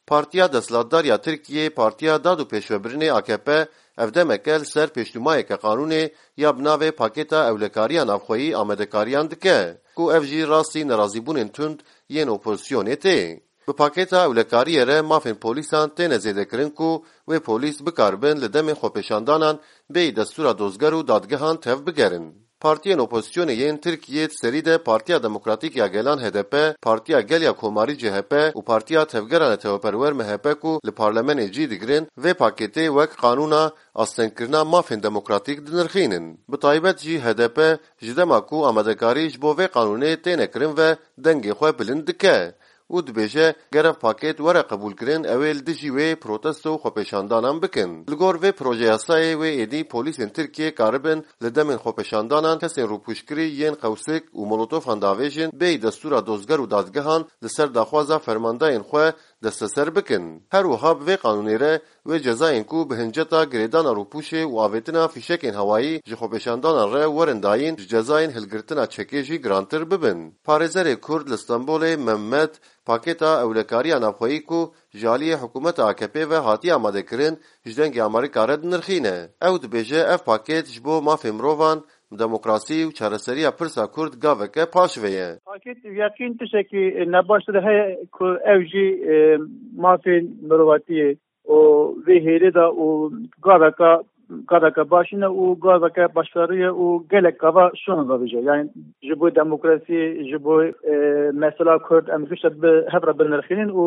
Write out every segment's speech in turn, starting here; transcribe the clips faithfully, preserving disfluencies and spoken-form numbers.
Partiya Desthilatdar ya Tirkiyê, Partiya Dad û Pêşvebirinê A K P, ev demeke li ser pêşnûmayeke qanûnê ya bi navê Pakêta Ewlekariya Navxweyî amadekariyan dike, ku ev jî rastî nerazîbûnên tund yên opozisyonê tê. Bi pakêta ewlekariyê re mafên polîsan têne zêdekirin ku wê polîs bikaribin li demên xwepêşandanan bêyî destûra dozger û dadgehan tevbigerin. Partiyên opozisyonê yên Tirkiyê, di serî de Partiya Demokratîk ya Gelan H D P, Partiya Gel ya Komarî C H P û Partiya Tevgera Neteweperwer M H P ku li parlamenê cî digirin, vê pakêtê wek qanûna astengkirina mafên demokratîk dinirxînin. Bi taybet jî H D P ji dema ku amadekarî ji bo vê qanûnê têne kirin ve dengê xwe bilind dike û dibêje, ger ev pakêt were qebûlkirin, ew ê li dijî wê protesto û xwepêşandanan bikin. Li gor vê projeyasayê wê êdî polîsên Tirkiyê karibin li demên xwepêşandanan kesên rûpûşkirî yên qewsik û molotofan davêjin, bêyî destûra dozger û dadgehan li ser daxwaza fermandayên xwe desteser bikin. Her wiha bi vê qanûnê re wê cezayên ku bi hinceta girêdana rûpûşê û avêtina fîşekên hewayî ji xwepêşandanan re werin dayîn, ji cezayên hilgirtina çekê jî girantir bibin. Parêzerê Kurd li Stenbolê Mehmet, pakêta ewlekariya navxweyî ku ji aliyê hikûmeta A K P ve hatiye amadekirin, ji Dengê Amerîka re dinirxîne. Ew dibêje, ev pakêt ji bo mafê mirovan, demokrasî û çareseriya pirsa Kurd gaveke paşve ye. Pakêt yeqîn tiştekî nebaş de heye ku ew jî, e, mafên mirovatiyê û vê hêlê de û gaveke, gaveke baş nîne û gaveke başkariye û gelek gava şûn vabêje. Yani ji bo demokrasiyê, ji bo, e, mesela Kurd em gişte bi hev re binirxînin û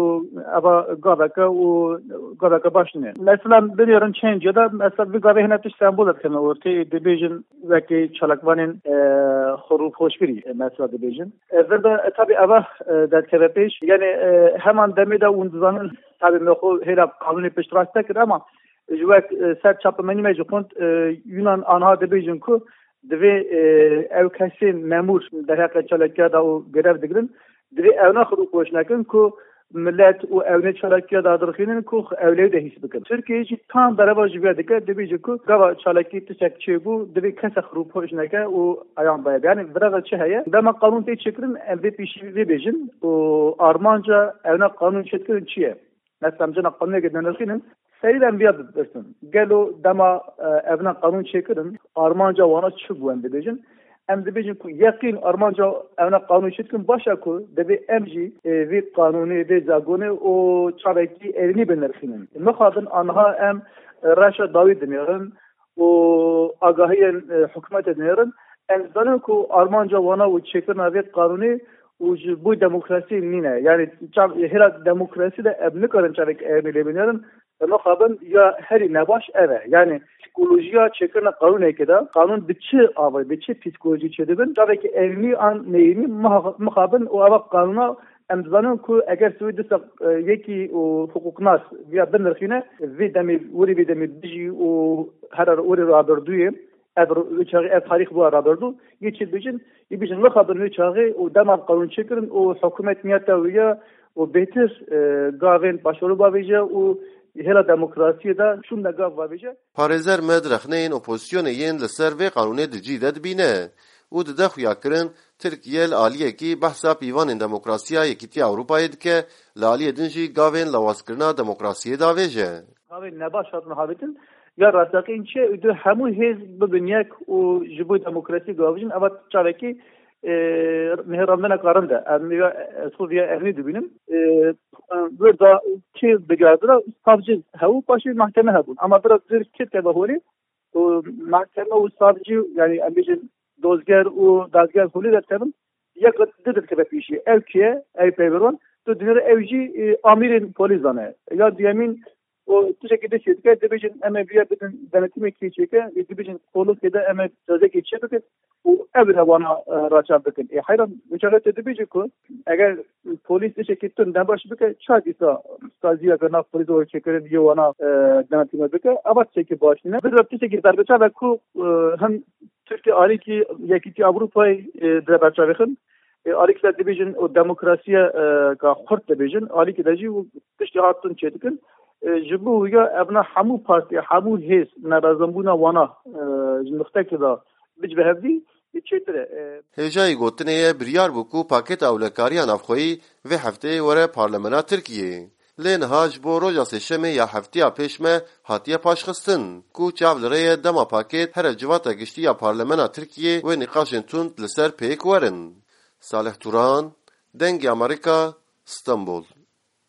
eva gaveke û gaveke baş nîne. Mesela binêrin çend cihê de, mesela vî gavê hene tişt sembol dikevin ortê, dibêjin wekî çalakvanên, e, xwe rûpûşkirî, e, mesela dibêjin. E, vir de, e, tabi eva, e, derdikeve pêş. Yani, e, heman demê de hûn dizanin, tabi me xwe hêla qanûnê piştrast nekir, ama ji wek, e, ser çapemenî me jî xwend, e, Yunan anha dibêjin ku divê, e, ew kesên memûr derheqê çalakiya de û grev digirin, divê ew ne xwe rûpûş nekin ku millet û ew nê çalakiya de dirxînin ku ew lê de hîs bikin. Tirkiye jî tam bereva ji vê dike, dibêje ku gava çalakî tiştek çêbû, divê kesek rûpûş neke û eyan baye. Yani virava çi heye? Dema qanûn tê çêkirin, em vê pêşî vê bêjin û armanca ew ne qanûn çêdikirin çi ye? Mesela em cena qanûnekê dinirxînin, serî de em viya bipirsin. Gelo dema, e, evna qanûn çêkirin, armanca wana çi bû em dibêjin? Em dibêjin ku yeqîn armanca evna qanûn çêdikin baş e ku divê em jî, e, vê qanûnê, vê zagonê û çavekî erênî binirxînin. Mixabin anha em, e, reşa dawî dinêrin û agahiyên, e, hikûmetê dinêrin. Em dizanin ku armanca wana û çêkirina vê qanûnê û ji bo demokrasiyê nîne. Yani çav-, hêla demokrasî de em nikarin çavek erênî lê binêrin. Mixabin ya herî nebaş ev e. Yani psîkolojiya çêkirina qanûnekê de, qanûn bi çi avê, bi çi psîkolojî çêdibin, çavekî erênî an neyênî miha-, mixabin û eva qanûna em dizanin ku eger sivê disa, e, yekî û hiqûqnas viya binirxîne, vê demê, werî vê demê bijî û her werî rabirdûyê, ev ro-, wê çaxê ev tarîx bû rabirdû, yê çi dibêjin, yê bêjin mixabin wê çaxê û dema qanûn çêkirin û hikûmet niyeta wê ya û bêtir, e, gavên paşverû bavêje û hêla demokrasiyê de şûnde gav bavêje. Parêzer Med rexneyên opozisyonê yên li ser vê qanûnê di cî de dibîne û dide xuyakirin Tirkiye li aliyekî behsa pîvanên demokrasiya Yekîtiya Ewropayê dike, li aliyê din jî gavên lawazkirina demokrasiyê davêje. Gavên nebaş hatin havêtin, ya rasteqîn çi ye? Û di hemû hêz bibin yek û ji bo demokrasiyê gavijin, eva çavekî, e, nihêrandineka rind e. Em ya, ez xwe viya ernî dibînim. E, wir da kê digirdira savcı hew, paşê mahkeme hebûn. Ama biraz dir kê teve holê, û mahkeme û savcı, yani em bêjin dozger û dadger holê derkevin, yek re di dikeve pêşî. Ew kî ye? Ew peyveron. Tu dinêre ew jî, e, amîrên polîsan e. Ya duyemîn, û tiştekî din çêdike, dibêjin em ê vêya bidin denetimê kê çêke, ê dibêjin kolokê de em ê cezekê çê bikin û ev re wana, e, raçav bikin. Ê heyran, wê çaxê tu dibêjî ku eger polîs tiştekî tund nebaş bike, ça dîsa saziyeke nav polîs û çêkirin yê wana, e, denetîme bike? Eva tiştekî baş nîne. Vê re tiştekî berbiçav e ku, e, him Tirkiye alîkî Yekîtiya Ewropayê, e, dire berçavêxin. E, alîkî de dibêjin û demokrasiye, e, ka xurt dibêjin, alîkî de jî û tiştê hat tund çêdikin. E, ji bo wîya evna hemû partî, hemû hêz nerazanbûna wana, e, ji nixtekê de bicive hevdî, çêtir e. E, Hêjayî gotinê ye, biryar bû ku pakêta ewlekariya navxweyî vê hefteyê were Parlemena Tirkiyê. Lê niha ji bo roja sêşemê ya heftiya pêş me hatiye paşxistin, ku çav li rê ye dema pakêt here civata giştî ya Parlemena Tirkiyê wê nîqaşên tund li ser pêk werin. Salih Turan, Dengê Amerîka, Stenbol.